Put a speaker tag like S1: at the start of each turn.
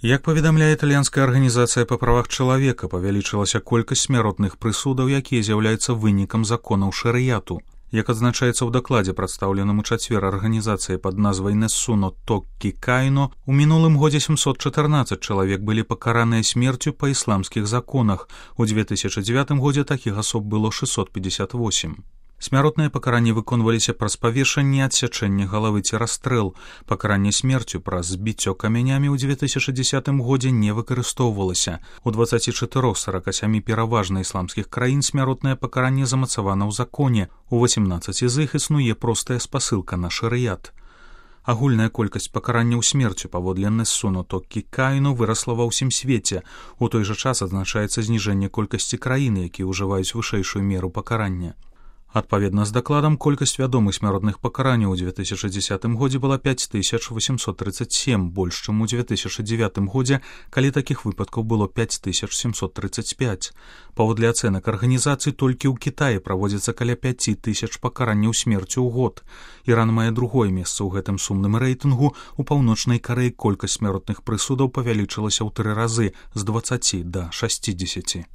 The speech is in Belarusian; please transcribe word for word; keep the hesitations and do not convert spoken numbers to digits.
S1: Як паведамляе італьянская арганізацыя па правах чалавека, павялічылася колькасць смяротных прысудаў, якія з'яўляюцца вынікам законаў шарыяту. Як адзначаецца ў дакладзе, прадстаўленым у чацвер арганізацыяй пад назвай Несуно Токкі Кайно, у мінулым годзе сямсот чатырнаццаць чалавек былі пакараныя смерцю па ісламскіх законах. У две тысячы дзевятым годзе такіх асоб было шэсцьсот пятьдесят восемь. Смяротныя пакаранні выконваліся праз павешанне, адсячэнне галавы ці расстрэл. Пакаранне смерцю праз збіццё камянямі ў две тысячы дзесятым годзе не выкарыстоўвалася. У дваццаці чатырох з сарака сямі пераважна ісламскіх краін смяротнае пакаранне замацавана ў законе. У васемнаццаці з іх існуе простая спасылка на шарыят. Агульная колькасць пакаранняў смерцю паводле Несуно Токкі Кайно вырасла ва ўсім свеце. У той жа час адзначаецца зніжэнне колькасці краін, якія ўжываюць вышэйшую меру пакарання. Адпаведна з дакладам, колькасць вядомых смяротных пакаранняў у две тысячы дзесятым годзе была пяць тысяч восемьсот тридцать семь, больш, чым у две тысячы дзевятым годзе, калі такіх выпадкаў было пяць тысяч семьсот тридцать пять. Паводле ацэнак арганізацый, толькі ў Кітаі праводзіцца каля пяць тысяч пакаранняў смерцю ў год. Іран мае другое месца ў гэтым сумным рэйтынгу. У Паўночнай Карэі колькасць смяротных прысудаў павялічылася ў тры разы з дваццаці да шасцідзесяці.